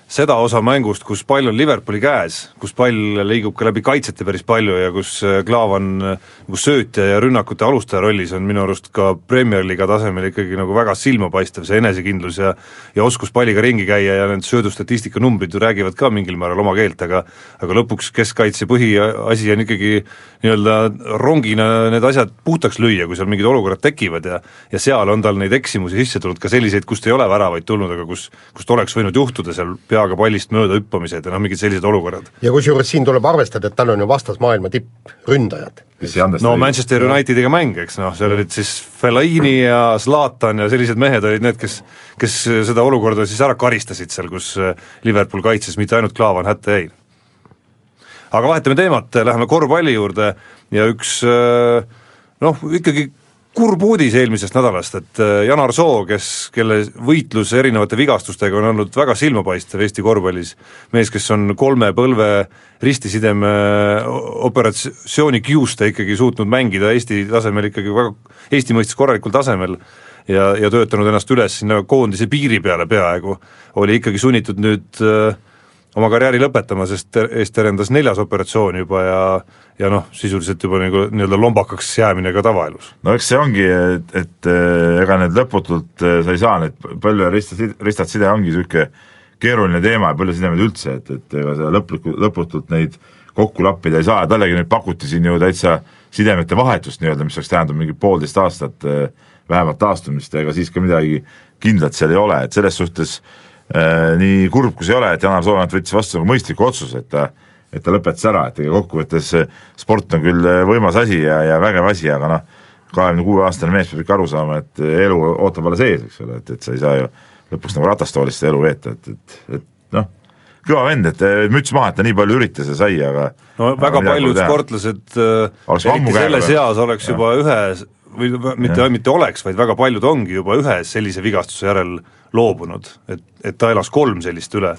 seda osa mängust, kus pall on Liverpooli käes, kus pall liigub ka läbi kaitsete päris palju ja kus Klaavan nagu söötja ja rünnakute alustaja rollis on minu arust ka Premier Liiga tasemel ikkagi nagu väga silmapaistev see enesekindlus ja, ja oskus palliga ringi käia ja need söödustatistika numbrid räägivad ka mingil määral oma keelt, aga aga lõpuks keskkaitse põhiasi on ikkagi nii-öelda rongina need asjad puhtaks lüüa, kui seal mingid olukorrad tekivad ja, ja seal on tal neid eksimusi sisse tulnud ka selliseid, kust ei ole väravaid tulnud, aga kus, kust oleks võinud juhtuda seal peaga pallist mööda hüppamised ja noh, mingid sellised olukorrad. Ja kusjuures siin tuleb arvestada, et tal on ju vastas maailma tippründajad. No Manchester Unitediga mäng, eks noh, seal olid siis Fellaini ja Zlatan ja sellised mehed olid need, kes, kes seda olukorda siis ära karistasid seal, kus Liverpool kaitses, mitte ainult Klaavan hätta jäi. Aga vahetame teemat, läheme korvpalli juurde ja üks noh, ikkagi kurb uudis eelmisest nädalast, et Janar Soo, kes, kelle võitlus erinevate vigastustega on olnud väga silmapaistev Eesti korvpallis, mees, kes on kolme põlve ristisideme operatsiooni kiuste ikkagi suutnud mängida Eesti tasemel ikkagi väga, Eesti mõistes korralikul tasemel ja, ja töötanud ennast üles sinna koondise piiri peale peaaegu, oli ikkagi sunnitud nüüd äh, oma karjääri lõpetama, sest eest terendas neljas operatsioon juba ja ja noh, sisuliselt juba nagu nii-öelda lombakaks jäämine ka tavaelus. No eks see ongi, et, et ega need lõputult sa ei saa, need palju ristad, ristad side ongi niisugune keeruline teema ja palju sidemed üldse, et, et ega seda lõplik, lõputult neid kokku lappida ei saa ja tallegi nüüd pakuti siin ju täitsa sidemete vahetust nii-öelda, mis oleks tähendab mingi poolteist aastat vähemalt taastumist ja ega siis ka midagi kindlat seal ei ole, et selles suhtes Äh, nii kurb kui see ei ole, et Janar Soonat võttis vastu nagu mõistliku otsuse, et ta, et ta lõpetas ära, et ega kokkuvõttes sport on küll võimas asi ja, ja vägev asi, aga noh, kahekümne kuue aastane mees peab ikka aru saama, et elu ootab alles ees, eks ole, et, et sa ei saa ju lõpuks nagu ratastoolist elu veeta, et, et, et noh, kõva vend, et müts maha, et ta nii palju üritas ja sai, aga no aga väga paljud sportlased eriti selles eas oleks juba ja. ühe või mitte, mitte oleks, vaid väga paljud ongi juba ühe sellise vigastuse järel loobunud, et, et ta elas kolm sellist üle.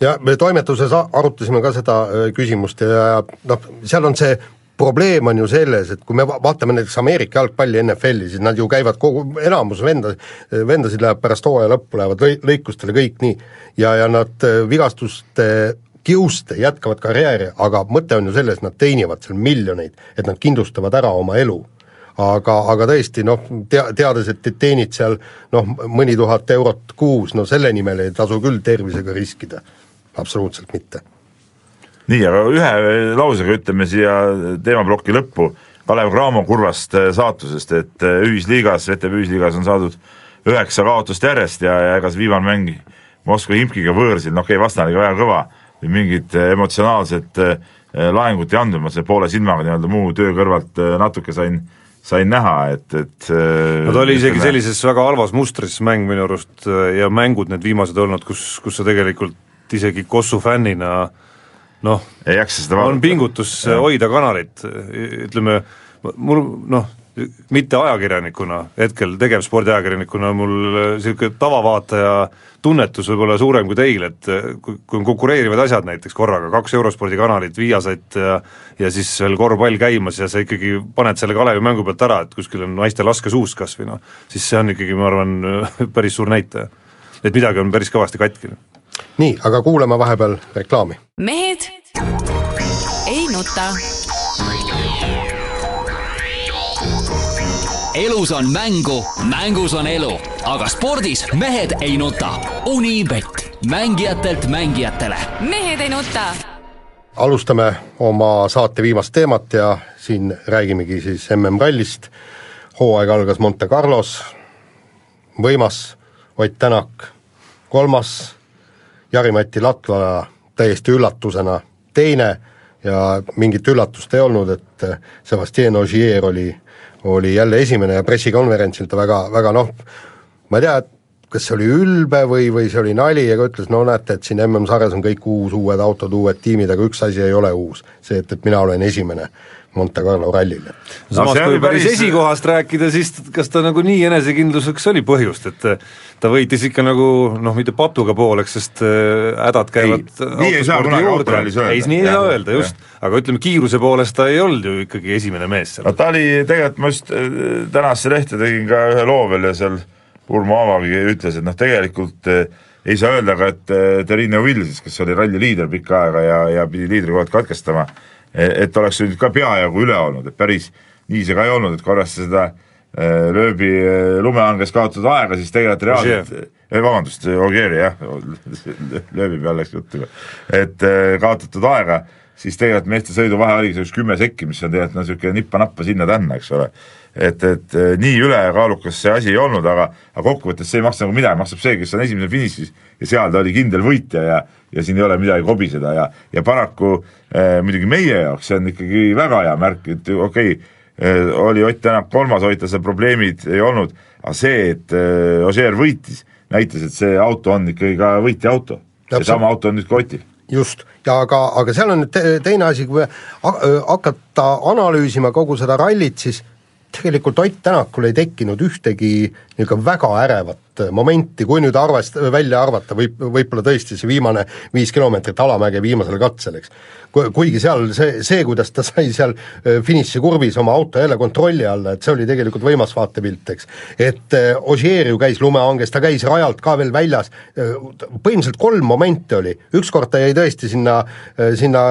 Ja me toimetuses arutasime ka seda küsimust ja noh, seal on see probleem on ju selles, et kui me vaatame näiteks Ameerika jalgpalli N F L-i, siis nad ju käivad kogu, enamus venda, vendasid läheb pärast hooaja lõppu, lähevad lõi, lõikustele kõik nii ja, ja nad vigastuste kiuste jätkavad karjääri, aga mõte on ju selles, et nad teenivad seal miljoneid, et nad kindlustavad ära oma elu. Aga, aga tõesti, noh, tea, teades, et teenid seal noh, mõni tuhat eurot kuus, no selle nimel ei tasu küll tervisega riskida. absoluutselt mitte. Nii, aga ühe lausega ütleme siia teemaploki lõppu Kalev Cramo kurvast saatusest, et ühisliigas, V T B ühisliigas on saadud üheksa kaotust järjest ja, ja ega see viimane mäng Moskva Himkiga võõrsil, no okei, okay, vastane väga kõva, mingid emotsionaalsed laengut ei andnud, ma see poole silmaga nii-öelda muu töö kõrvalt natuke sain, sain näha, et, et no ta oli isegi ütleme, sellises väga halvas mustris mäng minu arust ja mängud need viimased olnud, kus, kus sa tegelikult isegi Kossu fännina noh, on pingutus ja. hoida kanalit, ütleme, mul noh, mitte ajakirjanikuna, hetkel tegevspordiajakirjanikuna mul selline tavavaataja tunnetus võib olla suurem kui teil, et kui, kui on konkureerivad asjad näiteks korraga, kaks eurospordi kanalit, viiasat ja, ja siis veel korvpall käimas ja sa ikkagi paned selle Kalevi mängu pealt ära, et kuskil on naiste laskesuus kas või noh, siis see on ikkagi, ma arvan, päris suur näitaja. Et midagi on päris kõvasti katki. Nii, aga kuuleme vahepeal reklaami. Mehed ei nuta. Elus on mängu, mängus on elu, aga spordis mehed ei nuta. Unibet, mängijatelt mängijatele. Mehed ei nuta. Alustame oma saate viimast teemat ja siin räägimegi siis M M-rallist. Hooaeg algas Monte Carlos, võimas Ott Tänak, kolmas, Jari-Matti Latvala täiesti üllatusena teine ja mingit üllatust ei olnud, et Sébastien Ogier oli oli jälle esimene ja pressikonverentsil ta väga, väga noh, ma ei tea, kas see oli ülbe või, või see oli nali, aga ütles, no näete, et siin M M-sarjas on kõik uus, uued autod, uued tiimid, aga üks asi ei ole uus, see, et, et mina olen esimene Monte Carlo rallil. Samas no, kui päris esikohast rääkida, siis kas ta nagu nii enesekindluseks oli põhjust, et ta võitis ikka nagu, noh, mitte patuga pooleks, sest hädad käivad ei, nii ei saa kunagi autorallis öelda. Ei, nii ei saa öelda, just. Aga ütleme, kiiruse poolest ta ei olnud ju ikkagi esimene mees seal. No ta oli, tegelikult ma just tänasse lehte tegin ka ühe loo veel ja seal Urmo Avagi ütles, et noh, tegelikult ei saa öelda ka, et Terine Vilsis, kes oli ralli liider pikka aega ja, ja pidi liidri kohalt katkestama, et oleks nüüd ka peajagu üle olnud, et päris nii see ka ei olnud, et korras seda lööbi lumehanges kaotatud aega, siis tegelikult reaalselt, vabandust, Ogieri jah, lööbi peal läks juttu, et kaotatud aega, siis tegelikult meeste sõidu vahe oligi see üks kümme sekki, mis on tegelikult niisugune nippa-nappa sinna-tänna, eks ole. Et, et nii ülekaalukas see asi ei olnud, aga, aga kokkuvõttes see ei maksa nagu midagi, maksab see, kes on esimene finišis ja seal ta oli kindel võitja ja, ja siin ei ole midagi kobiseda ja, ja paraku eh, muidugi meie jaoks see on ikkagi väga hea märk, et okei, okay, oli Ott Tänak kolmas, hoita seal probleemid ei olnud, aga see, et eh, Ogier võitis, näitas, et see auto on ikkagi ka võitja auto. See sama auto on nüüd ka Otil. Just, ja aga, aga seal on te, teine asi, kui hakata analüüsima kogu seda rallit, siis tegelikult Ott Tänakul ei tekkinud ühtegi niisugune väga ärevat momenti, kui nüüd arvest, välja arvata, võib, võib-olla tõesti see viimane viis kilomeetrit alamäge viimasel katsel, eks. Kuigi seal see, see, kuidas ta sai seal finiši kurvis oma auto jälle kontrolli alla, et see oli tegelikult võimas vaatepilt, eks. Et Ogier ju käis lumehanges, ta käis rajalt ka veel väljas, põhimõtteliselt kolm momenti oli, ükskord ta jäi tõesti sinna, sinna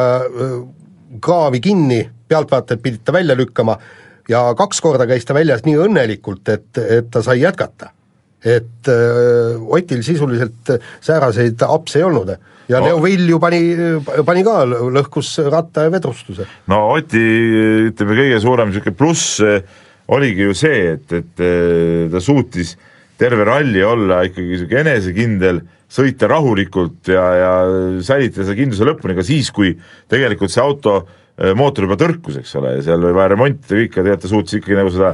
kraavi kinni, pealtvaatajad pidid ta välja lükkama, ja kaks korda käis ta väljas nii õnnelikult, et, et ta sai jätkata. Et öö, Otil sisuliselt sääraseid apse ei olnud. Ja no. Leo Vill ju pani, pani ka lõhkus ratta ja vedrustuse. No Oti, ütleme, kõige suurem pluss oligi ju see, et, et ta suutis terve ralli olla ikkagi enesekindel, sõita rahulikult ja, ja säilitada seda kindluse lõpuni ka siis, kui tegelikult see auto mootor juba tõrkus, eks ole, ja seal või vaja remontida kõik, ja tegelikult ta suutis ikkagi nagu seda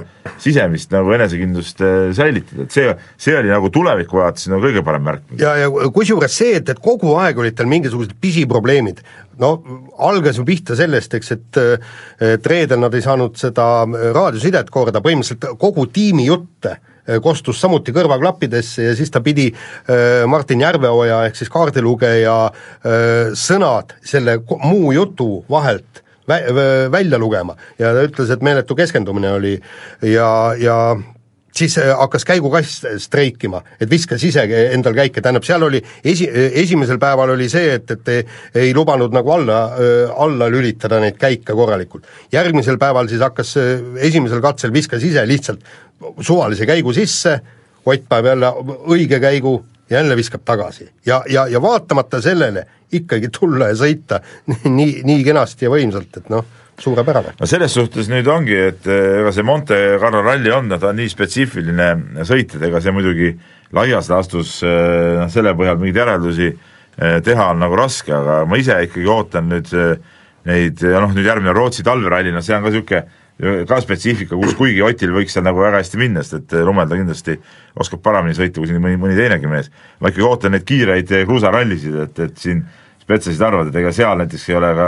sisemist nagu enesekindlust säilitada, et see, see oli nagu tuleviku vaates nagu kõige parem märk. Ja, ja kusjuures see, et, et kogu aeg olid tal mingisugused pisiprobleemid, no algas ju pihta sellest, eks, et, et reedel nad ei saanud seda raadiosidet korda, põhimõtteliselt kogu tiimi jutte kostus samuti kõrvaklappidesse ja siis ta pidi äh, Martin Järveoja ehk siis kaardilugeja äh, sõnad selle muu jutu vahelt vä välja lugema ja ta ütles, et meeletu keskendumine oli ja, ja siis hakkas käigukass streikima, et viskas ise endal käike, tähendab seal oli esi, esimesel päeval oli see, et, et ei, ei lubanud nagu alla, alla lülitada neid käike korralikult. Järgmisel päeval siis hakkas esimesel katsel viskas ise lihtsalt suvalise käigu sisse, Ott päev jälle õige käigu, jälle viskab tagasi ja, ja, ja vaatamata sellele ikkagi tulla ja sõita nii, nii kenasti ja võimsalt, et noh, suurepärane. No selles suhtes nüüd ongi, et ega see Monte Carlo ralli on, ta on nii spetsiifiline sõit, et ega see muidugi laias laastus no, selle põhjal mingeid järeldusi teha on nagu raske, aga ma ise ikkagi ootan nüüd neid, ja noh, nüüd järgmine Rootsi talveralli, no see on ka niisugune ka spetsiifika, kus kuigi Otil võiks seal nagu väga hästi minna, sest et Lumelda kindlasti oskab paremini sõita kui siin mõni, mõni teinegi mees. Ma ikkagi ootan neid kiireid kruusarallisid, et, et siin spetsasid arvad, et ega seal näiteks ei ole ka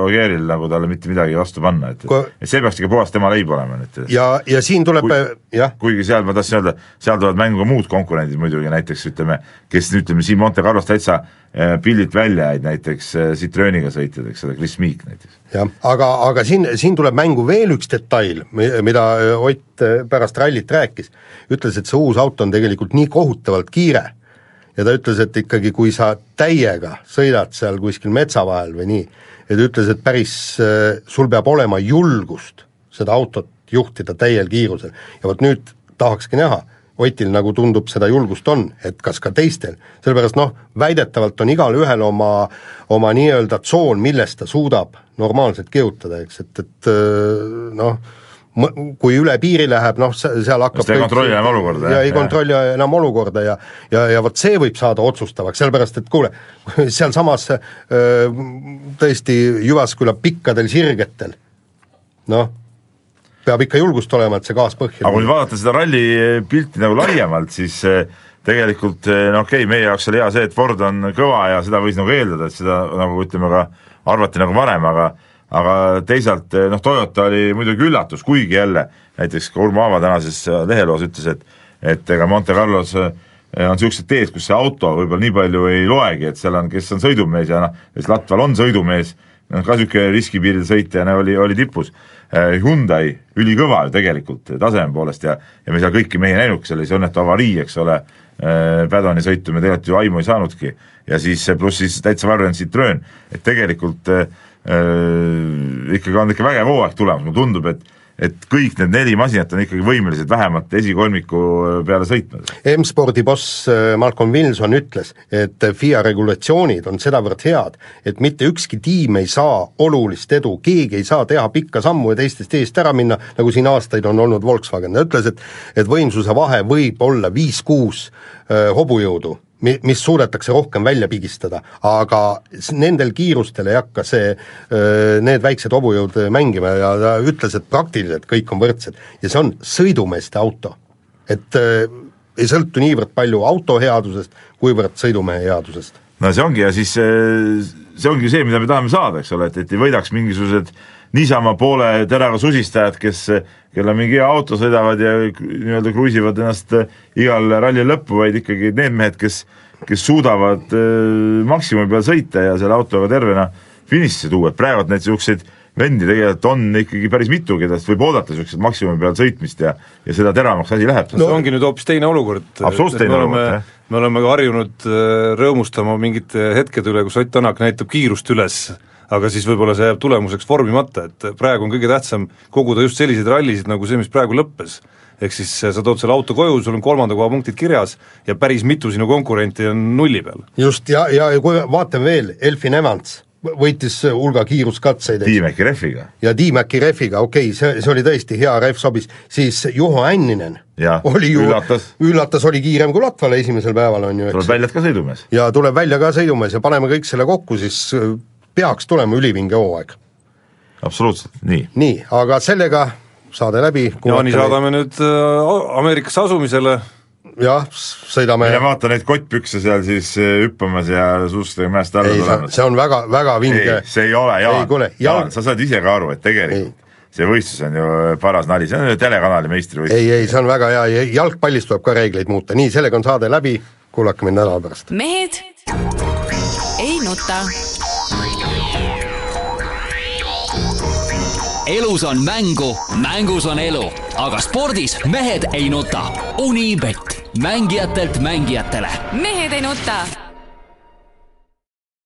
Ogieril nagu talle mitte midagi vastu panna, et, Ko... et see peaks ikka puhas tema leib olema. Et, ja, ja siin tuleb kui, jah. Kuigi seal ma tahtsin öelda, seal tulevad mängu ka muud konkurendid muidugi, näiteks ütleme, kes ütleme siin Monte Carlos täitsa pillilt välja jäid, näiteks Citroeniga sõitjad, eks ole, Chris Meek näiteks. jah, aga, aga siin, siin tuleb mängu veel üks detail, mida Ott pärast rallit rääkis, ütles, et see uus auto on tegelikult nii kohutavalt kiire ja ta ütles, et ikkagi kui sa täiega sõidad seal kuskil metsa vahel või nii, et ütles, et päris sul peab olema julgust seda autot juhtida täiel kiirusel ja vot nüüd tahakski näha, Otil nagu tundub seda julgust on, et kas ka teistel, sellepärast noh, väidetavalt on igal ühel oma, oma nii-öelda tsoon, millest ta suudab normaalselt kihutada, eks, et, et noh, kui üle piiri läheb, noh, seal hakkab ei kontrolli enam olukorda. Ja ei kontrolli enam olukorda ja, ja, ja vot see võib saada otsustavaks, sellepärast, et kuule, seal samas tõesti Jyväsküla pikkadel sirgetel, noh, peab ikka julgust olema, et see gaas põhja. Aga kui vaadata seda ralli pilti nagu laiemalt, siis tegelikult, no okei, meie jaoks oli hea see, et Ford on kõva ja seda võis nagu eeldada, et seda nagu ütleme ka arvati nagu varem, aga aga teisalt, noh, Toyota oli muidugi üllatus, kuigi jälle, näiteks ka Urmo Aava tänases leheloos ütles, et et ega Monte Carlos on niisugused teed, kus see auto võib-olla nii palju ei loegi, et seal on, kes on sõidumees ja noh, kes Latval on sõidumees, ka niisugune riskipiiril sõitjana oli, oli tipus. Hyundai ülikõva ju tegelikult taseme poolest ja, ja me seal kõiki mehi näinud, seal oli see õnnetu avarii, eks ole, Pädoni sõitu me tegelikult ju aimu ei saanudki ja siis pluss siis täitsa varjend Citroen, et tegelikult äh, ikkagi on ikka vägev hooaeg tulemas, mulle tundub, et et kõik need neli masinat on ikkagi võimelised vähemalt esikolmiku peale sõitma. M-spordi boss Malcolm Wilson ütles, et F I A regulatsioonid on sedavõrd head, et mitte ükski tiim ei saa olulist edu, keegi ei saa teha pikka sammu ja teistest eest ära minna, nagu siin aastaid on olnud Volkswagen. Ta ütles, et, et võimsuse vahe võib olla viis kuus äh, hobujõudu, mis suudetakse rohkem välja pigistada, aga nendel kiirustel ei hakka see, need väiksed hobujõud mängima ja ta ütles, et praktiliselt kõik on võrdsed ja see on sõidumeeste auto. Et ei sõltu niivõrd palju auto headusest, kuivõrd sõidumehe headusest. No see ongi ja siis see ongi see, mida me tahame saada, eks ole, et, et ei võidaks mingisugused niisama poole teraga susistajad, kes kelle mingi auto sõidavad ja nii-öelda kruisivad ennast igal ralli lõppu, vaid ikkagi need mehed, kes, kes suudavad äh, maksimumi peal sõita ja selle autoga tervena finississe tuua, et praegu need niisuguseid vendi tegelikult on ikkagi päris mitu, kedast võib oodata niisugused maksimumi peal sõitmist ja, ja seda teravamaks asi läheb. No see ongi nüüd hoopis teine olukord. Absoluutselt teine olukord, jah. Me oleme harjunud rõõmustama mingite hetkede üle, kus Ott Tänak näitab kiirust üles, aga siis võib-olla see jääb tulemuseks vormimata, et praegu on kõige tähtsam koguda just selliseid rallisid nagu see, mis praegu lõppes. Ehk siis sa tood selle auto koju, sul on kolmanda koha punktid kirjas ja päris mitu sinu konkurenti on nulli peal. Just, ja, ja kui vaatame veel, Elfin Evans võitis hulga kiiruskatseid. Tiimäki rehviga. Ja Tiimäki rehviga, okei, okay, see, see oli tõesti hea rehv sobis, siis Juho Änninen ja, oli ju, üllatas. üllatas oli kiirem kui Latvale esimesel päeval on ju. Tuleb välja ka sõidumees. Ja tuleb välja ka sõidumees ja paneme kõik selle kokku, siis peaks tulema ülivinge hooaeg. Absoluutselt, nii. Nii, aga sellega saade läbi. Ja nii saadame nüüd Ameerikasse asumisele. Jah, sõidame. Ja vaata neid kottpükse seal siis hüppamas ja suustega mäest alla tulemas. See on väga, väga vinge. Ei, see ei ole, Jaan. Ei, kuule, Jaan, sa saad ise ka aru, et tegelikult ei. See võistlus on ju paras nali, see on ju telekanali meistrivõistlus. Ei, ei, see on väga hea, jalgpallist tuleb ka reegleid muuta. Nii, sellega on saade läbi, kuulake mind nädala pärast. Mehed ei nuta. Elus on mängu, mängus on elu, aga spordis mehed ei nuta. Unibet, mängijatelt mängijatele. Mehed ei nuta.